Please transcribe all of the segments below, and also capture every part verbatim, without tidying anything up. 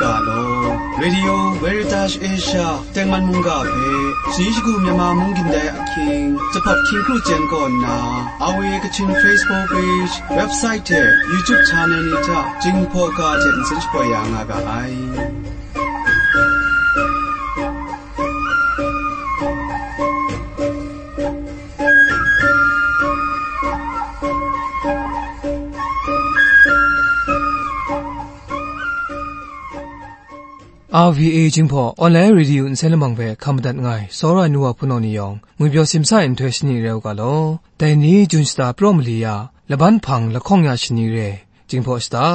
Ga law. Radio Veritas Asia tengman mungga hpe, shayi shagu Myanmar mung gindai ahkying, Jahpap hkying kru chyen kaw nna, R V A Kachin Facebook page, website hte YouTube channel ni hta Jinghpaw ga hte nsen shapoi ya nga ga ai. R V A Jinghpaw Online Radio nsen lamang hpe hkam madat nngai, tsawra ai nu wa hpunau ni yawng, ngwi pyaw simsa ai nhtoi shani rai u ga law. Dai ni Jun shata praw mali ya, laban hpang lahkawng ya shani re, Jinghpaw shata,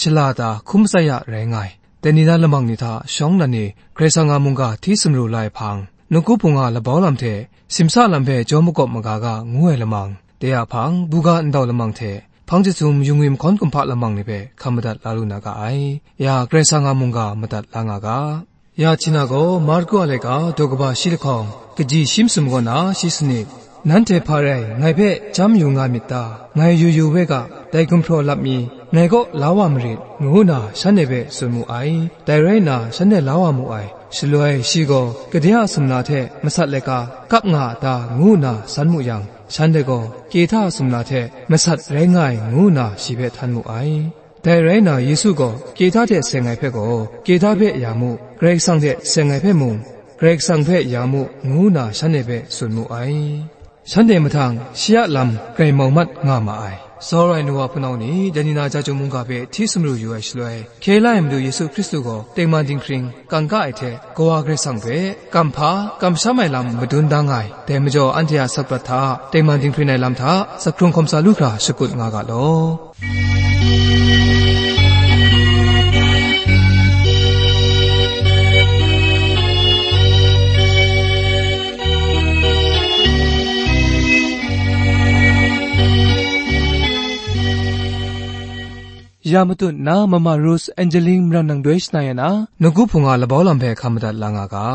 shala ta, hkum tsai ya rai nga ai. Dai ni na lamang ni hta shawng nnan e Karai Kasang a mungga hti sumru la ai hpang, nawku hpung a labau lam hte simsa lam hpe jaw makawp maga ga ngu ai lamang, dai a hpang, buga ndau lamang hte, hpang jahtum yu ngwi mahkawn kumhpa lamang ni hpe hkam madat la lu na ga ai. Ya Karai Kasang a mungga madat la nga ga. Ya Htina gaw Marku a laika daw kaba shi lahkawng, kaji shi masum kaw na shi sanit, nanhte hpa rai ngai hpe chyam yu nga myit ta? Ngai yu yu we ga, dai gumhpraw lap mi ngai kaw la wa marit, ngu nna shanhte hpe tsun mu ai. Dai rai nna shanhte la wa mu ai. Shaloi shi gaw, kade a sumla hte masat laika kap nga a ta? Ngu nna san mu yang, shanhte gaw, Kehta a sumla hte masat rai nga ai, ngu nna shi hpe htan mu ai. Dai rai nna, Yesu gaw Kehta hte seng ai hpe gaw, Kehta hpe ya mu, Karai Kasang hte seng ai hpe mung, Karai Kasang hpe ya mu, ngu nna shanhte hpe tsun mu ai. Shanhte mahtang shi a lam grai mau mat nga ma ai. Tsawra ai nu wa hpunau ni, dai ni na Jahtum mungga hpe hti sumru yu ai shaloi, hkye la ai Madu Yesu Hkristu gaw tengman dinghpring kangka ai hte, Kawa Karai Kasang hpe kamhpa kamsham ai lam madun da nga ai. Dai majaw, anhte a sakprat hta tengman dinghpring ai lam hta, zakhkrung hkawm sa lu hkra shakut nga ga law. Ya matut nna, Mama Rose Angeline Maran nang doi shana ya na, nawku hpung a labau lam hpe hkam madat la nga ga.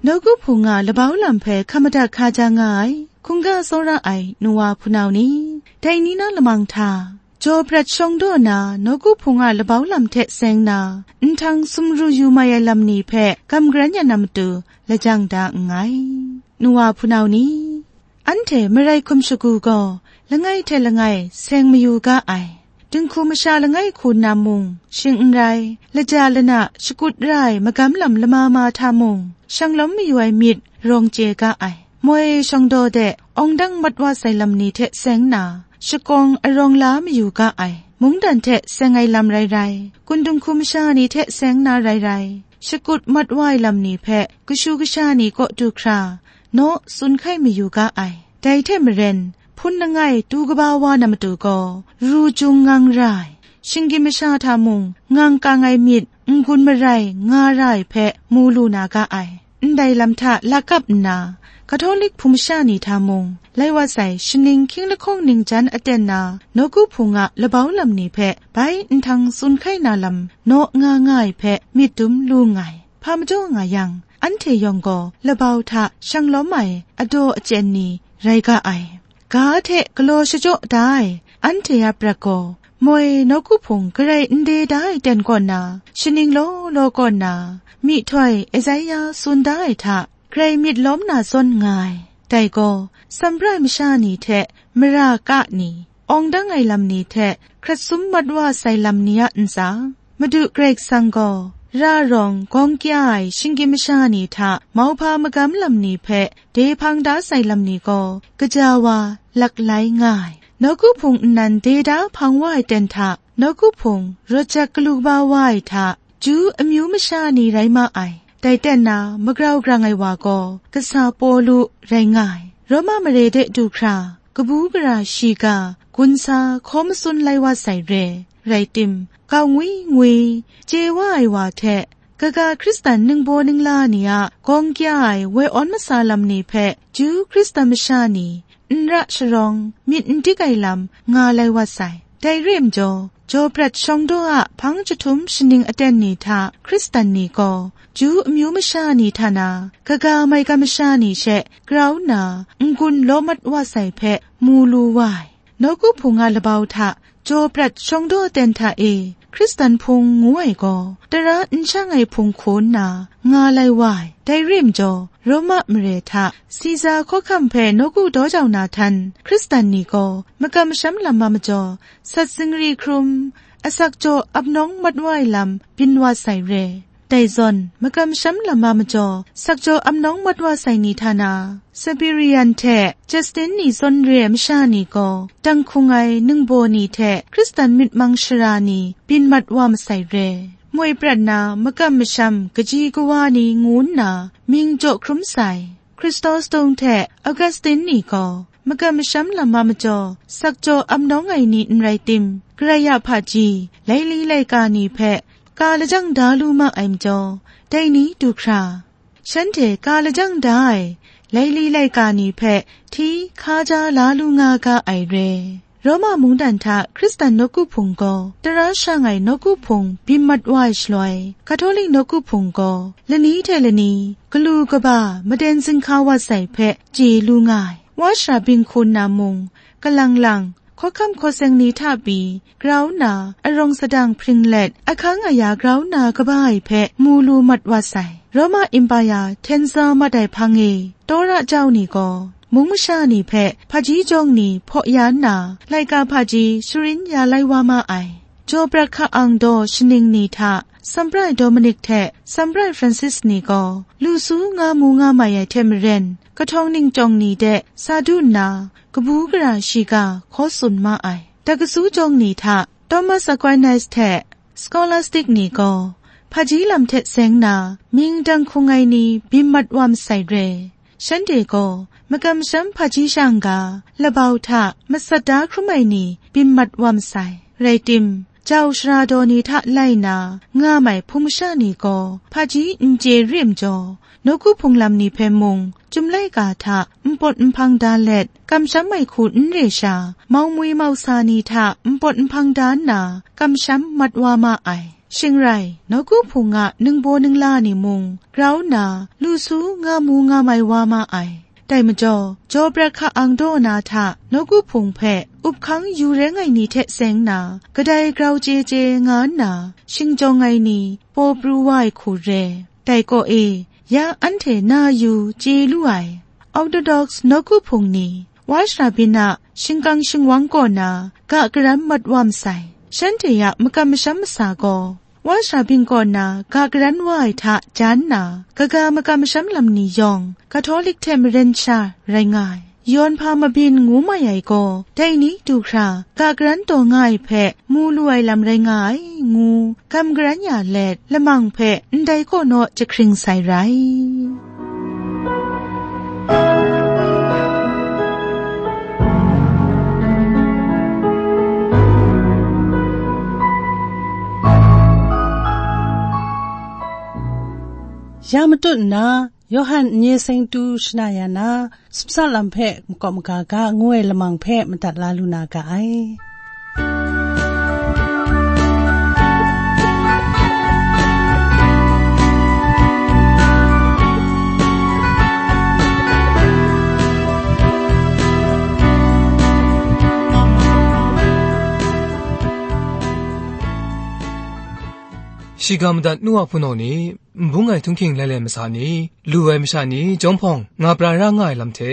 Nawku hpung a labau lam hpe hkam madat hkaja nga ai, hkungga tsawra ai nu wa hpunau ni, dai ni na lamang hta, jaw prat shawng daw na nawku hpung a labau lam hte seng na, nhtang sumru yu mai ai lam ni hpe kam garan ya na matu lajang da nngai. Nu wa hpunau ni, anhte marai hkum shagu gaw langai hte langai seng mayu ga ai. Dinghku masha langai hku nna mung shing n rai, laja lana shakut ra ai magam lam lama ma hta mung, shanglawm mayu ai myit rawng chye ga ai. Moi shawng daw de, awng dang mat wa sai lam ni hte seng na, shakawng arawng la mayu ga ai. Mungdan hte seng ai lam rai rai, kun dinghku masha ni hte seng na rai rai, shakut mat wa ai lam ni hpe kashu kasha ni kaw du hkra, naw tsun hkai mayu ga ai. Dai hte maren, hpun langai tu kaba wa na matu gaw, ru jung ngang ra ai. Shinggyim masha hta mung, ngang kang ai myit n-gun marai nga ra ai hpe mu lu na ga ai. Ndai lam hta lakap nna, Katolik hpung masha ni hta mung, lai wa sai shaning hkying lahkawng ningjan aten na, nawku hpung a labau lam ni hpe bai nhtang tsun hkai na lam naw nga nga ai hpe myit dum lu nngai. Hpa majaw nga yang, anhte yawng gaw labau hta shanglawm ai adaw achyen ni rai ga ai. Ga hte galaw shachyaw da ai anhte a prat gaw, moi nawku hpung garai n de da ai ten kaw na, shaning law law kaw na, myihtoi Esaia tsun da ai hta, grai myit lawm na zawn nga ai. Dai gaw, Sambrai masha ni hte mara ka ni, awng dang ai lam ni hte hkrat sum mat wa sai lam ni a ntsa, Madu Karai Kasang gaw, ra rawng gawng kya ai shinggyim masha ni hta mauhpa magam lam ni hpe de hpang da sai lam ni gaw, gaja wa laklai nga ai. Nawku hpung nnan de da hpang wa ai ten hta, nawku hpung rawt jak galu kaba wa ai hta, Ju amyu masha ni rai ma ai. Dai ten na, magrau grang ai wa gaw, kasa Pawlu rai nga ai. Roma mare de du hkra, kabu gara shiga, gunsa hkaw matsun lai wa sai re, rai tim, kau ngwi ngwi, chye wa ai wa hte, kaga Hkristan ningbaw ningla ni a gawng kya ai woi awn masa lam ni hpe, Ju Hkristan masha ni n ra sharawng myit n dik ai lam nga lai wa sai. Dai re ai majaw, jaw prat shawng daw a hpang jahtum shaning aten ni hta Hkristan ni gaw, Ju amyu masha ni hta na, kaga maigan masha ni she grau nna, n-gun law mat wa sai hpe mu lu wa ai. Nawku Hpung a labau hta jaw prat shawng daw aten hta e Hkristan hpung ngu ai gaw, tara n shang ai hpung hku nna nga lai wa ai. Dai re ai majaw, Roma mare hta Siza hkawhkam hpe nawku daw jau na htan Hkristan ni gaw makam masham lam a majaw, sat zingri hkrum, asak jaw ap nawng mat wa ai lam byin wa sai re. Dai zawn, makam masham lam a majaw, sakjaw ap nawng mat wa sai ni hta na, Siberian hte Justin ni zawn re ai masha ni gaw, dang hkung ai ningbaw ni hte Hkristan myit mang shara ni byin mat wa masai re. Moi prat na makam masham kaji kawa ni ngu nna mying jaw hkrum sai. Chrysostom hte Augustine ni gaw, makam masham lam a majaw, sakjaw ap nawng ai ni n rai tim, Karai a hpaji, laili laika ni hpe ka lajang da lu ma ai majaw, dai ni du hkra, shanhte ka lajang da ai laili laika ni hpe hti hkaja la lu nga ga ai re. Roma mungdan hta Hkristan nawku hpung gaw, tara shang ai nawku hpung byin mat wa ai shaloi, Katolik nawku hpung gaw, lani hte lani, galu kaba maden zinghka wa sai hpe chye lu nga ai. Wa shara bing hku nna mung, kalang lang, hkawhkam hkawseng ni hta pyi, grau nna, arawng sadang hpring let, ahkang aya grau nna kaba ai hpe mu lu mat wa sai. Roma Empire hten za mat ai hpang e, Tora jau ni gaw, mung masha ni hpe hpaji jawng ni hpaw ya nna, laika hpaji sharin ya lai wa ma ai. Jaw prat hka-ang daw shaning ni hta, Sambrai Dominic hte Sambrai Francis ni gaw, lu su nga mu nga mai ai hte maren, kahtawng ningchyawng ni de sa du nna, kabu gara shiga hkaw tsun ma ai. Dakasu jawng ni hta, Thomas Aquinas hte Scholastic ni gaw, hpaji lam hte seng na, mying dang hkung ai ni byin mat wa masai re. Shanhte gaw, makam masham hpaji shang ga, labau hta masat da hkrum ai ni byin mat wa masai. Rai tim, jau shara daw ni hta lai na, nga mai hpung masha ni gaw, hpaji n chye re ai majaw, nawku hpung lam ni hpe mung, chyum laika hta npawt nhpang da let, kamsham ai hku n re sha, mau mwi mau sa ni hta npawt nhpang da nna, kamsham mat wa ma ai. Shing rai, nawku hpung a ningbaw ningla ni mung, grau nna, lu su nga mu nga mai wa ma ai. Dai majaw, jaw prat hka-ang daw na hta, nawku hpung hpe, up hkang yu reng ai ni hte seng na, kadai grau chye chye nga nna, shingjawng ai ni, paw pru wa ai hku re. Dai kaw e, ya anhte na yu chye lu ai, Orthodox nawku hpung ni, Wa shara byin a shingkang shingwang kaw na ga garan mat wa masai. Shanhte a makam masham masa gaw, Wa shara byin kaw na ga garan wa ai hta jan nna, kaga makam masham lam ni yawng, Katolik hte maren sha rai nga ai. Yawn hpa mabyin ngu mai ai gaw, dai ni du hkra ga garan taw nga ai hpe mu lu ai lam rai nga ai, ngu gam garan ya let, lamang hpe ndai kaw naw jahkring sai rai. Ya matut nna, Yawhan n-ye seng tu shana ya na, simsa lam hpe makawp maga ga ngu ai lamang hpe madat la lu na ga ai. Shiga madat nu a hpunau ni, nbung ai htunghking lailai masa ni, lu ai masha ni, jawm hpawng nga pra ra nga ai lam hte,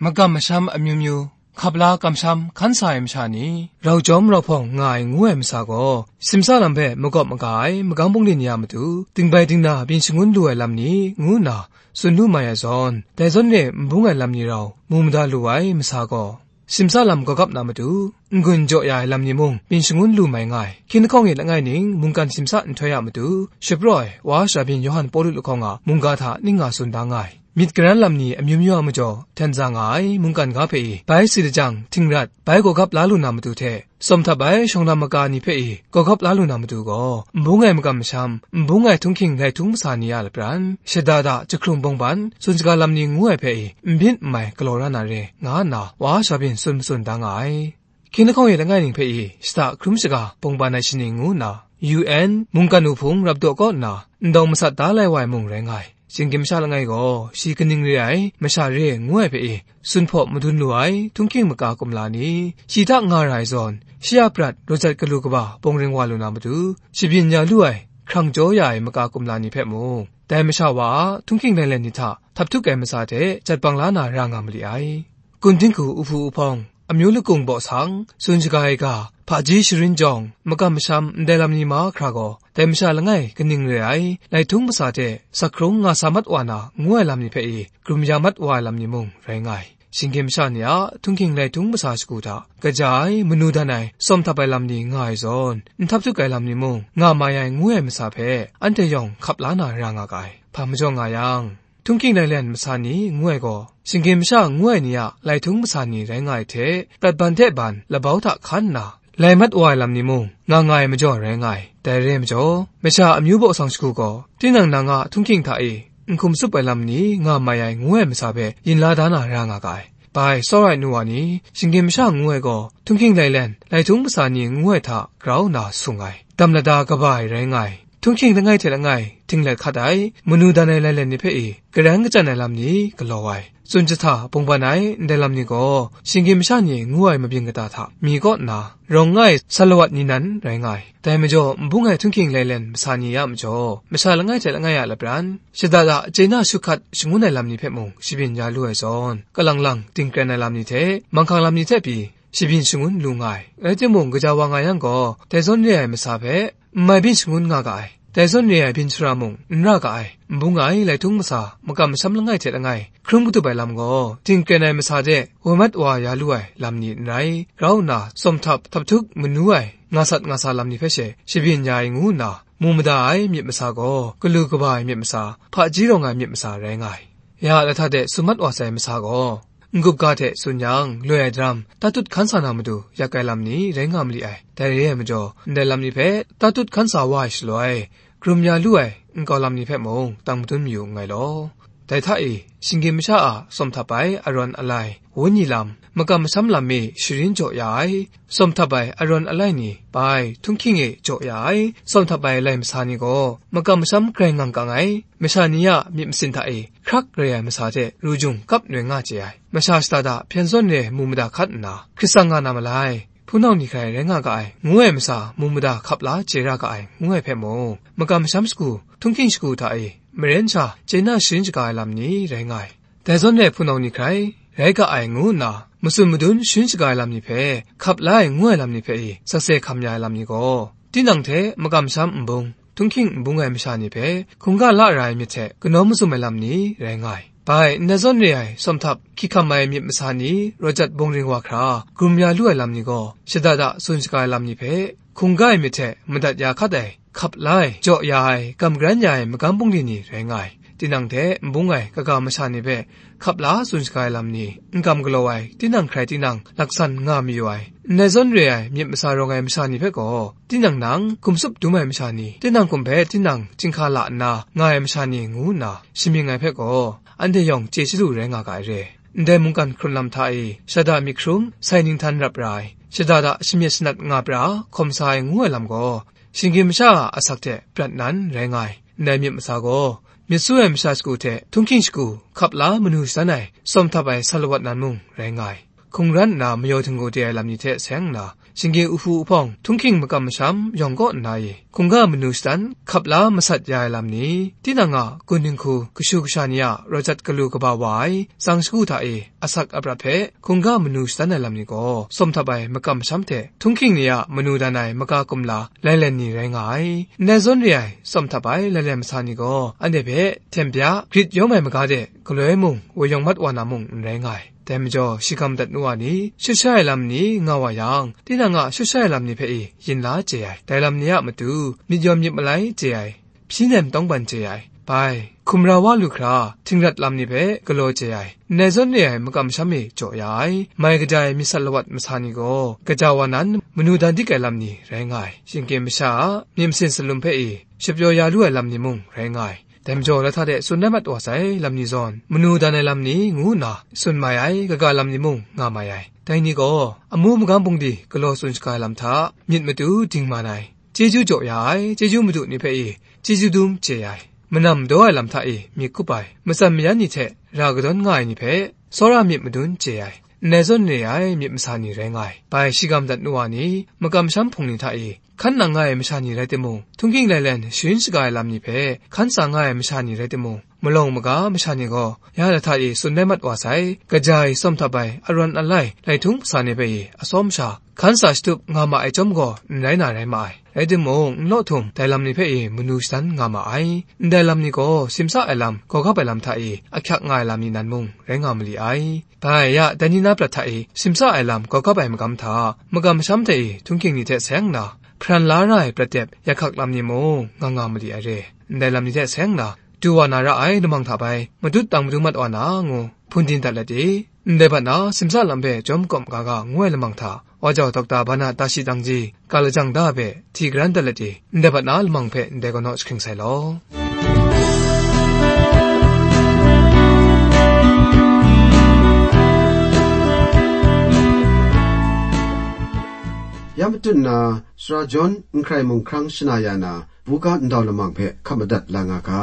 makam masham amyu myu, hkap la kamsham hkan sa ai masha ni, rau jawm rau hpawng nga ai ngu ai masa gaw, simsa lam hpe makawp maga ai magang bungli ni a matu, dingbai dingna byin shangun lu ai lam ni, ngu nna tsun lu mai ai zawn, dai zawn re nbung ai lam ni rau mu mada lu ai masa gaw, simsa lam gawgap na matu, n-gun jaw ya ai lam ni mung byin shangun lu mai nga ai. Hkying lahkawng e langai ning mungkan simsa nhtoi a matu, shapraw ai Wa Shabyin Yawhan Pawlu lahkawng a mungga hta ning nga tsun da nga ai. Myit garan lam ni amyu myu a majaw hten za nga ai mungkan ga hpe i, bai si lajang htingrat, bai gawgap la lu na matu hte, tsawm htap ai shawng lam maga ni hpe i, gawgap la lu na matu gaw, nbung ai makam masham, nbung ai htunghking lai htung masa ni a lapran, shada da, jahkrung bawngban, tsun shaga lam ni ngu ai hpe i, n byin n mai galaw ra na re, nga nna, Wa Shabyin tsun matsun da nga ai. Hkying lahkawng e langai ning hpe i shada hkrum shaga bungban ai shaning ngu nna, U N mungkan wuhpung rapdaw kaw nna ndawng masat da lai wa ai mung rai nga ai. Shinggyim masha langai gaw shi kaning re ai, masha re ngu ai hpe i, sun hpaw madun lu ai, htunghking maka kumla ni, shi hta nga ra ai zawn, shi a prat, raw jat galu kaba bawng ring wa lu na matu, shabyin ya lu ai, hkrang jaw ya ai maka kumla ni hpe mung, dai masha wa a htunghking lailen ni hta htap htuk ai matsa hte jat bang la na ra nga mali ai. Gun dinghku uhpu uhpawng, amyu lakung baw sang, tsun shaga ai ga, hpaji sharin jawng, makam masham ndai lam ni mahkra gaw, dai masha langai kaning re ai, lai htung masa hte sak hkrung nga sa mat wa na ngu ai lam ni hpe i, hkrum ya mat wa ai lam ni mung rai nga ai. Shinggyim masha ni a htunghking lai htung masa shagu hta, kaja ai, manu dan ai, tsawm htap ai lam ni nga ai zawn, n htap htuk ai lam ni mung nga mai ai ngu ai masa hpe, anhte yawng hkap la na ra nga ga ai. Hpa majaw nga yang, htunghking lailen masa ni ngu ai gaw, shinggyim masha ngu ai ni a lai htung masa ni rai nga ai hte, prat ban hte ban labau hta hkan nna, lai mat wa ai lam ni mung, nga nga ai majaw rai nga ai. Dai re ai majaw, masha amyu baw sang shagu gaw, tinang nang a htunghking hta e, n hkum tsup ai lam ni nga mai ai ngu ai masa hpe yin la da na ra nga ga ai. Bai, tsawra ai nu wa ni, shinggyim masha ngu ai gaw, htunghking lailen, lai htung masa ni ngu ai hta grau nna sung ai, dam lada kaba ai rai nga ai. Htunghking langai hte langai, htinglet hkat ai, manu dan ai lailen ni hpe i, garan kachyan ai lam ni galaw ai, tsun jahta bungban ai ndai lam ni gaw, shinggyim masha ni ngu ai mabyin kata hta mi kaw nna, rawng nga ai salawat ni nan rai nga ai. Dai majaw, n bung ai htunghking lailen masa ni a majaw, masha langai hte langai a lapran, shada da chye na shu hkat shangun ai lam ni hpe mung shabyin ya lu ai zawn, kalang lang dingkren ai lam ni hte, manghkang lam ni hte pyi, shabyin shangun lu nga ai. Rai timung, gaja wa nga yang gaw, dai zawn re ai masa hpe, n mai byin shangun nga ga ai. Dai zawn re ai byin shara mung n ra ga ai. N bung ai lai htung masa, makam masham langai hte langai, hkrum katup ai lam gaw, dingkren ai masa de woi mat wa ya lu ai lam ni n rai, grau nna, tsawm htap, htap htuk manu ai, nga sat nga sa lam ni hpe she, shabyin ya ai ngu nna, mu mada ai myit masa gaw, galu kaba ai myit masa, hpaji rawng ai myit masa rai nga ai. Ya a lahta de tsun mat wa sai masa gaw, n-gup ga hte tsun yang, loi ai daram, tatut hkan sa na matu, yak ai lam ni rai nga mali ai. Dai re ai majaw, ndai lam ni hpe tatut hkan sa wa ai shaloi, hkrum ya lu ai nkau lam ni hpe mung, tang madun mayu nngai law. Dai hta e, shinggyim masha a tsawm htap ai arawn alai, wenyi lam, makam masham lam e sharin jaw ya ai, tsawm htap ai arawn alai ni, bai, htunghking e jaw ya ai, tsawm htap ai lai masa ni gaw, makam masham grai ngang kang ai, masha ni a myit masin hta e hkrak rai ai masa hte ru jung kap noi nga chye ai, masha shada da hpyen zawn re mu mada hkat nna, hkrit tsang nga na malai, hpunau ni hkrai rai nga ga ai, ngu ai masa mu mada hkap la chye ra ga ai, ngu ai hpe mung, makam masham shagu, htunghking shagu hta e, maren sha chye na sharin shaga ai lam ni rai nga ai. Dai zawn re hpunau ni hkrai, rai ga ai ngu nna, matsun madun sharin shaga ai lam ni hpe, hkap la ai ngu ai lam ni hpe i, sakse hkam ya ai lam ni gaw, tinang hte makam masham n bung, htunghking n bung ai masha ni hpe, hkungga la ra ai myit hte kanawn mazum ai lam ni rai nga ai. Bai, ndai zawn re ai, tsawm htap, hkyihkam ai myit masa ni, raw jat bawng ring wa hkra, hkrum ya lu ai lam ni gaw, shada da tsun shaga ai lam ni hpe, hkungga ai myit hte madat ya hkat ai, hkap la ai, jaw ya ai, gam garan ya ai magam bungli ni rai nga ai. Tinang hte n bung ai kaga masha ni hpe hkap la tsun shaga ai lam ni, n gam galaw ai, tinang hkrai tinang laksan nga mayu ai, ndai zawn re ai myit masa rawng ai masha ni hpe gaw, tinang nang hkum tsup dum ai masha ni, tinang hkum hpe tinang chyinghka la nna nga ai masha ni ngu nna shamying ai hpe gaw, anhte yawng chye chyalu rai nga ga ai re. Ndai mungkan hkrun lam hta e, shada myit hkrum, sai ninghtan rap ra ai, shada da shamyet shanat nga pra, hkawm sa ai ngu ai lam gaw, shinggyim masha a asak hte prat nan rai nga ai. Ndai myit masa gaw, myit su ai masha shagu hte htunghking shagu hkap la manu shadan ai, tsawm htap ai salawat nan mung rai nga ai. Hkungran nna mayaw htinggu de ai lam ni hte seng nna, shinggyim uhpu uhpawng, htunghking makam masham yawng kaw nna e, hkungga manu shadan hkap la masat ya ai lam ni, tinang a gun dinghku kashu kasha ni a raw jat galu kaba wa ai, tsang shagu hta e, asak aprat hpe hkungga manu shadan ai lam ni gaw, tsawm htap ai makam masham hte htunghking ni a manu dan ai maka kumla lailen ni rai nga ai. Ndai zawn re ai tsawm htap ai lailen masa ni gaw, anhte hpe hten bya grit yawm ai maga de galoi mung woi yawng mat wa na mung n rai nga ai. Dai majaw, shi ga madat nu wa ni, shut sha ai lam ni nga wa yang, tinang a shut sha ai lam ni hpe e yin la chye ai. Dai lam ni a matu, myit yawn myit malai chye ai, hpyi nem tawngban chye ai, bai, hkum ra wa lu hkra, htingrat lam ni hpe galaw chye ai, ndai zawn re ai makam masham e jaw ya ai, mai kaja ai myit sat lawat masa ni gaw, gaja wa nan manu dan dik ai lam ni rai nga ai. Shinggyim masha a myit masin salum hpe e, shapyaw ya lu ai lam ni mung rai nga ai. Dai majaw, lahta de tsun rai mat wa sai lam ni zawn, manu dan ai lam ni ngu nna tsun mai ai kaga lam ni mung nga mai ai. Dai ni gaw, amu magam bungli galaw tsun shaga ai lam hta, myit matu dingman ai, chyeju jaw ya ai, chyeju madu ni hpe i, chyeju dum chye ai, manam daw ai lam hta i, myit kup ai, matsan mayan ni hte ra kadawn nga ai ni hpe, tsawra myit madun chye ai, ndai zawn re ai myit masa ni rai nga ai. Bai shigam dat nu wa ni, makam masham hpung ni hta i, hkan nang nga ai masha ni rai timung, htunghking lailen sharin shaga ai lam ni hpe hkan tsa nga ai masha ni rai timung, malawng maga masha ni gaw, ya lahta e tsun rai mat wa sai, kaja e tsawm htap ai, arawn alai, laihtung hpasa ni hpe e atsawm sha, hkan tsa shatup nga ma ai chyawm gaw, n rai na rai ma ai. Rai timung, n law htum, dai lam ni hpe e manu shadan nga ma ai. Ndai lam ni gaw, simsa ai lam, gawgap ai lam hta e ahkyak nga ai lam ni nan mung, rai nga mali ai. Bai ya, dai ni na prat hta e simsa ai lam gawgap ai magam hta, magam masham hte e htunghking ni hte seng nna, hparan la ra ai prat dep, ya hkak lam ni mung nga nga mali ai re. Ndai lam ni hte seng nna, du wa na ra ai lamang hta bai, matut tang madu mat wa na ngu, hpun din dat let e. Ndai bat na, simsa lam hpe jawm kawm ga ga ngu ai lamang hta, wa jau Dokta Bana Tashi Dangji, ga lajang da hpe, hti garan dat let e. Ndai bat na lamang hpe ndai kau naw jahkring sai law. Ya matut nna, Sara John N Hkrai Mung Hkrang shana ya na, buga ndau lamang hpe hkap madat la nga ga.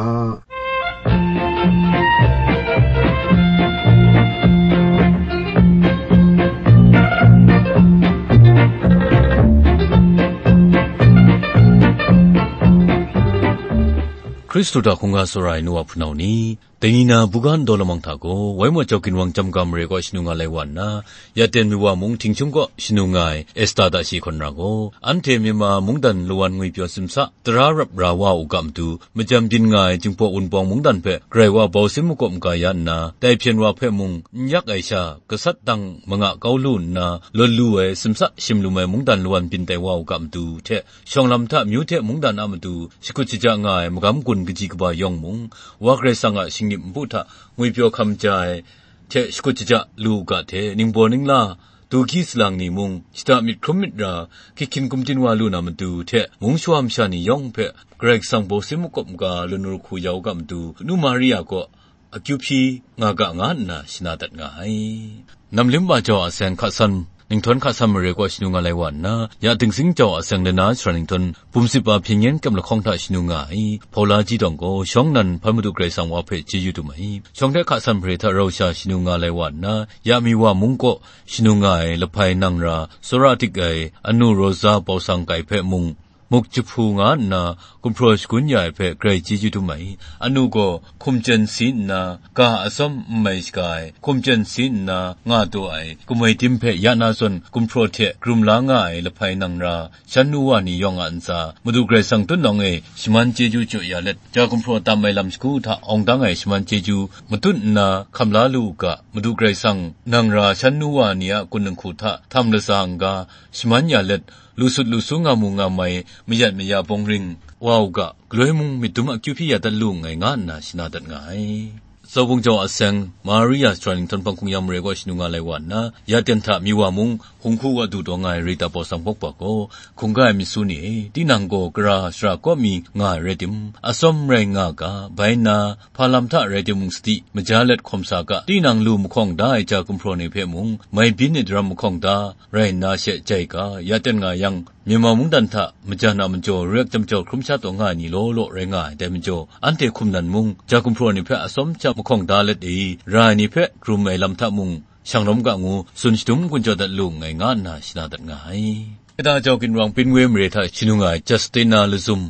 Hkristu hta hkungga tsawra ai nu wa hpunau ni, dai ni na buga ndau lamang hta gaw, Waimaw Jau Ginwang Chyam Ga Mare kaw shanu nga lai wa nna, ya ten mi wa mung Htingchung kaw shanu nga ai Esta hta shi hkawn ra gaw, anhte Myanmar mungdan lawan ngwipyaw simsa, tara rap ra wa u ga matu, majam byin nga ai Jinghpaw Wunpawng mungdan hpe Karai wa bau sin makawp maga ya nna, dai hpyen wa hpe mung n yak ai sha, gasat dang manga kau lu nna, lawn lu ai simsa shim lum ai mungdan lawan byin tai wa u ga matu hte, shawng lam hta amyu hte mungdan a matu shakut shaja nga ai magam gun kaji kaba yawng mung, Wa Karai Kasang a shinggyim npu hta ngwipyaw hkam ja ai hte shakut shaja lu u ga hte, ningbaw ningla, du hkyi salang ni mung, shada myit hkrum myit ra, hkying hkyin kumtin wa lu na matu hte, mung shawa masha ni yawng hpe Karai Kasang bau sin makawp maga lanu lahku ya u ga matu, Nu Maria kaw akyu hpyi nga ga nga nna shana dat nga ai. Namlim Ba Jau a seng hka san, Ninghtawng hka san mare kaw shanu nga lai wa nna, ya Dingsing Jau a seng lana sara Ninghtawng, Bum Sip A Hpyen Yen Kyem Lahkawng hta shanu nga ai, Paula Ji Dawng gaw, shawng nnan hpan Madu Karai Kasang wa hpe chyeju dum ai. Shawng hte hka san mare hta rau sha shanu nga lai wa nna, ya mi wa mung kaw shanu nga ai, lahpai nang ra, tsawra dik ai, anu Rosa Bau Sang Kai hpe mung, muk jahpu nga nna, gumhpraw shagun ya ai hpe grai chyeju dum ai. Anu gaw hkum chyen si nna, ga atsawm n mai shaga ai, hkum chyen si nna, nga taw ai, kamoi tim hpe ya na zawn gumhpraw hte krum la nga ai lahpai nang ra, shan nu wa ni yawng a ntsa, Madu Karai Kasang tutnawng e shaman chyeju jaw ya let, ja gumhpraw tam ai lam shagu hta awng dang ai shaman chyeju matut nna hkam la lu u ga, Madu Karai Kasang nang ra shan nu wa ni a kun dinghku hta htam latsa n-ga, shaman ya let, lu sut lu su nga mu nga mai, mayat maya bawng ring wa u ga, galoi mung myit dum akyu hpyi ya dat lu nngai, nga nna shana dat nga ai. Zaubung Jau a seng, Maria Sara Ninghtawng hpang hkungyan mare kaw shanu nga lai wa nna, ya ten hta mi wa mung, hung hku wa du taw nga ai Rita Bau Sang Bawk Ba gaw, hkungga ai myit su ni e, tinang gaw gara shara kaw mi nga ai rai tim, atsawm rai nga ga, bai nna, hpa lam hta rai timung sadi, maja let hkawm sa ga, tinang lu mahkawng da ai ja gumhpraw ni hpe mung, mai byin ai daram mahkawng da, rai nna she jai ga, ya ten nga yang, Myanmar mungdan hta majan a majaw, ruyat jam jau hkrum sha taw nga ai ni law law rai nga ai, dai majaw, anhte hkum nan mung, ja gumhpraw ni hpe atsawm sha mahkawng da let e, ra ai ni hpe krum ai lam hta mung, shang rawm ga ngu, tsun shadum n-gun jaw dat lu nngai, nga nna shana dat nga ai. Kata jau ginwang Pinwe mare hta shanu nga ai Justina Lazum,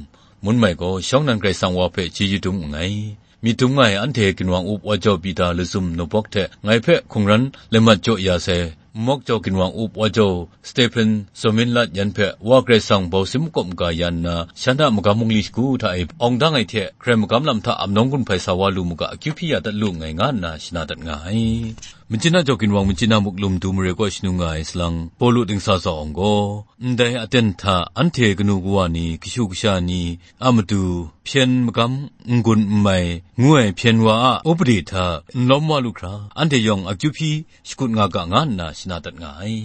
mun mai gaw, shawng nnan Karai Kasang wa hpe chyeju dum nngai. Myit dum nga ai anhte ginwang up wa jau Pita Lazum Nubawk hte ngai hpe hkungran laimat jaw ya sai, Nmawk jau ginwang up wa jau Stephen Zawmin Lat yan hpe Wa Karai Kasang bau sin makawp maga ya nna, shan a magam bungli shagu hta e awng dang ai hte, hkrai magam lam hta amnawng gun hpai sa wa lu mu ga, akyu hpyi ya dat lu nngai, nga nna shana dat nga ai. Machyina jau ginwang Machyina muk lum du mare kaw shanu nga ai salang, Pawlu dingsa tsawng gaw, ndai aten hta anhte kanu kawa ni, kashu kasha ni a matu, hpyen magam n-gun n mai, ngu ai hpyen wa a upade hta n lawm wa lu hkra, anhte yawng akyu hpyi shakut nga ga, nga nna shana dat nga ai.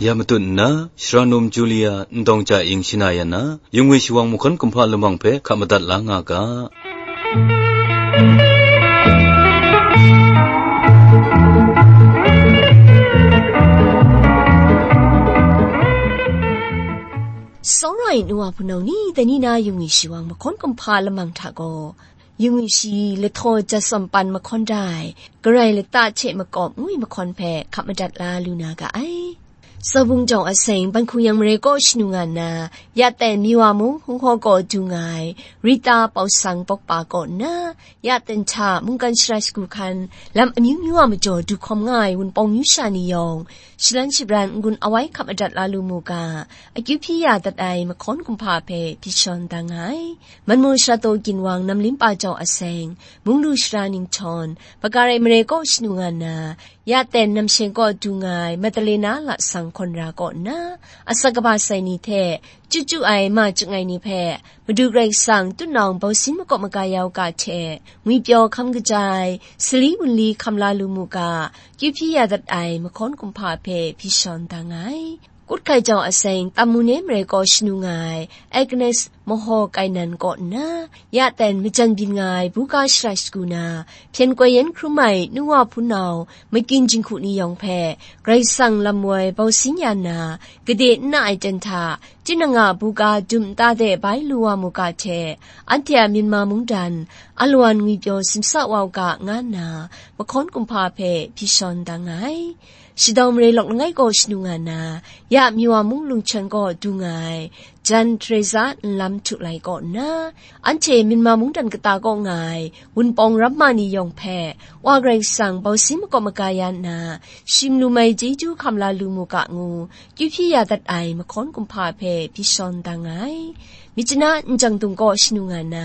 Ya matut nna, Shara Num Julia Ndawng Ja Ing shana ya na, Yungwi Shawang Mahkawn Kumhpa lamang hpe hkap madat la nga ga. Tsawra ai nu wa hpunau ni, dai ni na Yungwi Shawang Mahkawn Kumhpa lamang hta gaw, Yungwi Shi Lahtaw Jatsawm Pan Mahkawn Dai, Karai Lata hte Makawp ngu ai mahkawn hpe hkap madat la lu na ga ai. Sawbung jawng a seng, Ban Hkung Yang mare kaw shanu nga nna, ya ten Miwa mung Hung Hkaw kaw du nga ai, Rita Pawsang Pawkpa kaw nna, ya ten hta mungkan shara shagu hkan, lam amyu myu a majaw du hkawm nga ai Wunpawng myu sha ni yawng, shalan shabran n-gun awai hkap madat la lu mu ga, akyu hpyi ya dat ai mahkawn kumhpa hpe hpyi shawn da nga ai. Manmu Sharato Ginwang Namlimpa jawng a seng, Munglu Shara Ninghtawng, Bagarai mare kaw shanu nga nna, ya ten Namsheng kaw du nga ai Madalena Lasang Hkawn Ra kaw nna, asak kaba sai ni hte, chyu chyu ai ma chyangai ni hpe, Madu Karai Kasang tutnawng bausin makawp maga ya u ga hte, ngwipyaw hkam kaja ai, sali wunli hkam la lu mu ga, kyu hpyi ya dat ai mahkawn kumhpa hpe hpyi shawn da nga ai. Kut hkai jawng a seng, Tam Mune mare kaw shanu nga ai, Agnes Mahaw Kainan kaw nna, ya ten majan byin nga ai buga shara shagu na, hpyen koi yan hkrum ai nu wa hpunau, makyin jinghku ni yawng hpe, Karai Kasang lam woi bausin ya nna, gade n na ai ten hta, tinang a buga dum nta de bai lu wa mu ga hte, anhte a Myanmar mungdan, alawan ngwipyaw simsa wa u ga, nga nna, mahkawn kumhpa hpe hpyi shawn da nga ai. Shadawng mare lawk langai kaw shanu nga na, ya Miwa mung Lungchon kaw du nga ai, Jan Teresa Nlam Htu Lai kaw nna, anhte Myanmar mungdan kata kaw nga ai, Wunpawng ramma ni yawng hpe, Wa Karai Kasang bausin makawp maga ya nna, shim lu mai chyeju hkam la lu mu ga ngu, kyu hpyi ya dat ai mahkawn kumhpa hpe hpyi shawn da nga ai. Myitkyina Njang Dung kaw shanu nga na,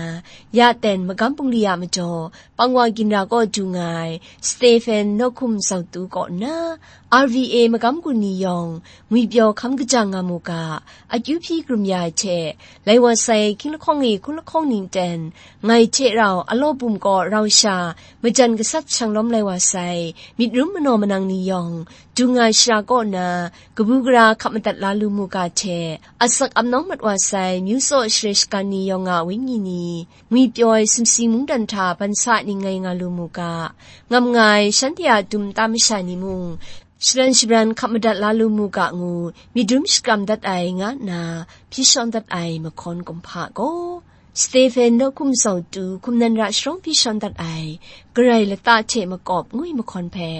ya ten magam bungli a majaw, Pangwa Ginra kaw du nga ai, Stephen Nawhkum Zautu kaw nna, R V A magam gun ni yawng, ngwipyaw hkam kaja nga mu ga, akyu hpyi krum ya ai hte, lai wa sai hkying lahkawng e hkun lahkawng ning ten, ngai hte rau alaw bum kaw rau sha, majan gasat shanglawm lai wa sai, myit rum manaw manang ni yawng, du nga ai shara kaw na, kabu gara hkap madat la lu mu ga hte, asak ap nawng mat wa sai, myu tsaw share shagan ni yawng a wenyi ni, ngwipyaw ai sumsing mungdan hta ban sa ning ngai nga lu mu ga, ngam nga ai shanhte a dum nta masha ni mung, shalan shabran hkap madat la lu mu ga ngu, myit rum shakram dat ai nga nna, hpyi shawn dat ai mahkawn kumhpa gaw, Stephen Nawhkum Zautu, hkum nan ra sharawng hpyi shawn dat ai, Karai Lata hte Makawp ngu ai mahkawn hpe,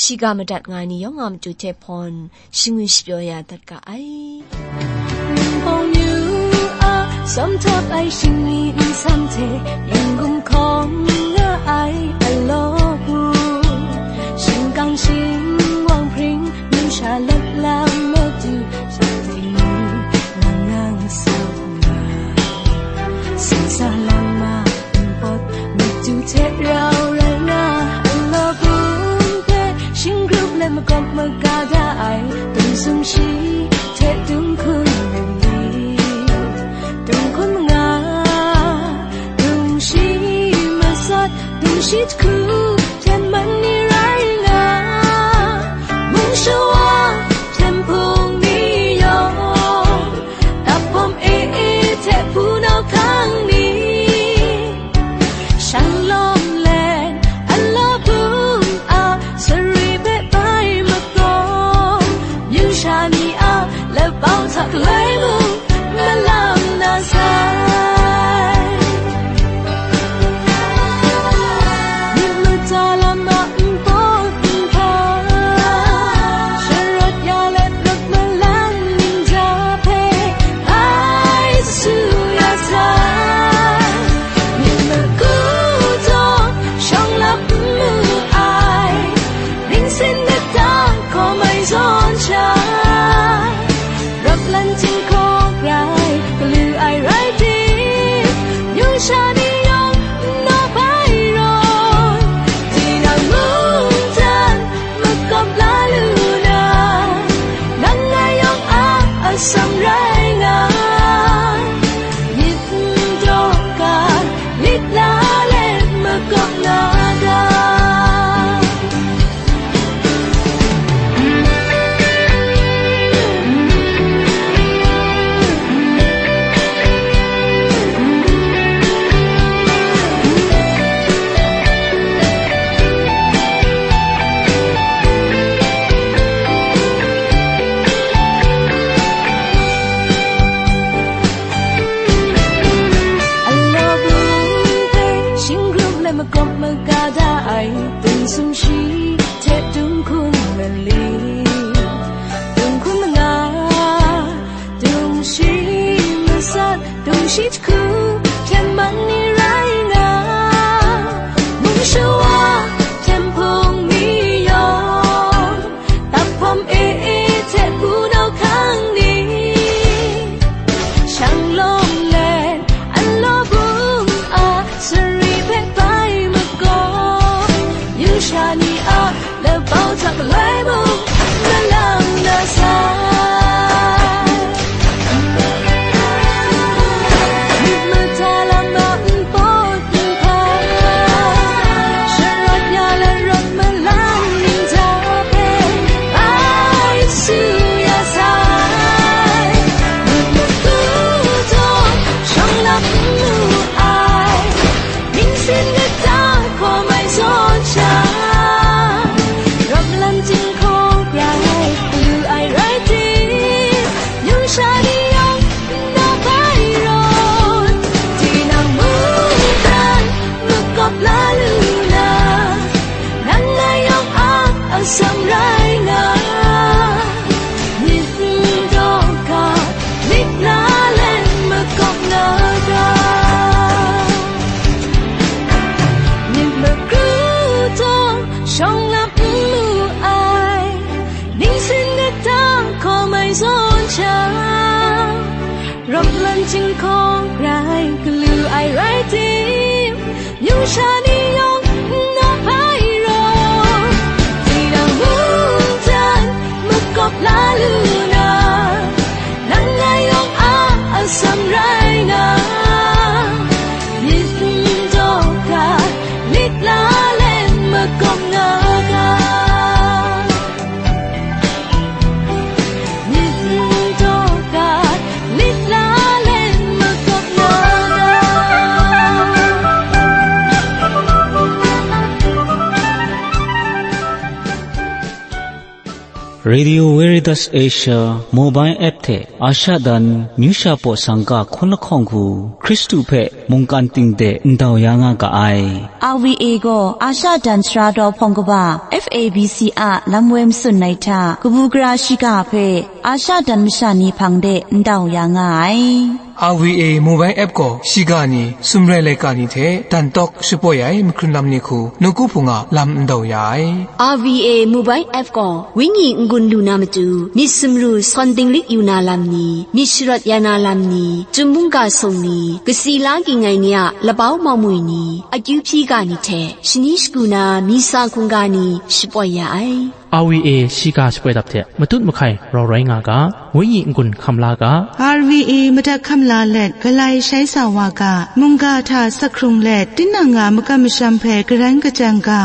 shiga madat nga ai ni yawng a matu hte hpawn, shingwi shapyaw ya dat ga ai. Nbawng yu a, sawm htap ai shingni nsam hte, yin gumhkawng nga ai alaw hku, shingkang shingwang hpring, numsha let lam madu, shanhte ni nang nang sau nga. Singsa lama npawt madu hte rau rai nga, alaw bum hpe shinggrup let makawp maga da ai, dum sumshi hte dum hkun rai ni, dum hkun manga, dum shi masat, dum shi jahku, hten man ni rai nga, mung shawa, hten hpung ni yawng, dap bawm e e hte hpunau hkang ni, shang lawm let, alaw bum a, sari hpe bai makawng, myu sha ni a, labau hta galoi mung, malang na sai. Myit Chyinghkawng rai galu ai rai tim, yungsha ni yawng n na ai raw, tinang mungdan makawp la lu na, nang ngai yawng a atsam rai na, myit n daw ga, lit la let makawp nga ga. Radio Veritas Asia mobile app hte Asha dan myu sha paw sangka hkun lahkawng hku Hkristu hpe mungkan ting de ndau ya nga ga ai. R V A gaw Asha dan sara daw hpawng kaba F A B C a lam woi matsun ai hta kabu gara shiga hpe Asha dan masha ni hpang de ndau ya nga ai. R V A mobile app gaw shiga ni, sumrai laika ni hte dan tawk shapoi ai mahkrun lam ni hku nawku hpung a lam ndau ya ai. R V A mobile app gaw wenyi n-gun lu na matu, myit sumru sawn dinglik yu na lam ni, myit sharawt ya na lam ni, chyum mungga sung ni, kasi la ging ai ni a labau mawmwi ni, akyu hpyi ga ni hte shani shagu na misa hkungga ni shapoi ya ai. R V A shiga shapoi dap hte matut mahkai rau rai nga ga, wenyi n-gun hkam la ga. R V A madat hkam la let, galai shai sa wa ga, mungga hta sak hkrung let, tinang a makam masham hpe garan kajang ga.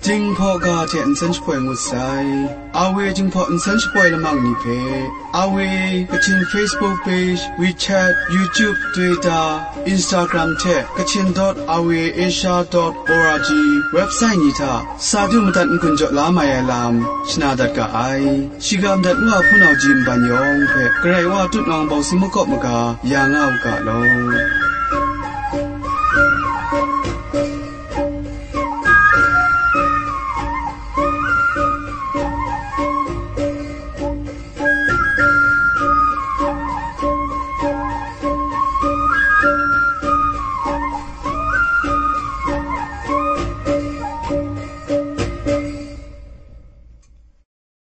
Jinghpaw ga hte nsen shapoi ngut sai. R V A Jinghpaw nsen shapoi lamang ni hpe, R V A Kachin Facebook page, WeChat, YouTube, Twitter, Instagram hte Kachin dot R V A Asia dot org website ni hta sa du madat n-gun jaw la mai ai lam shana dat ga ai. Shiga madat Wa Hpunau Ji nban yawng hpe Karai Wa tutnawng bawng si makawp maga ya nga u ga law.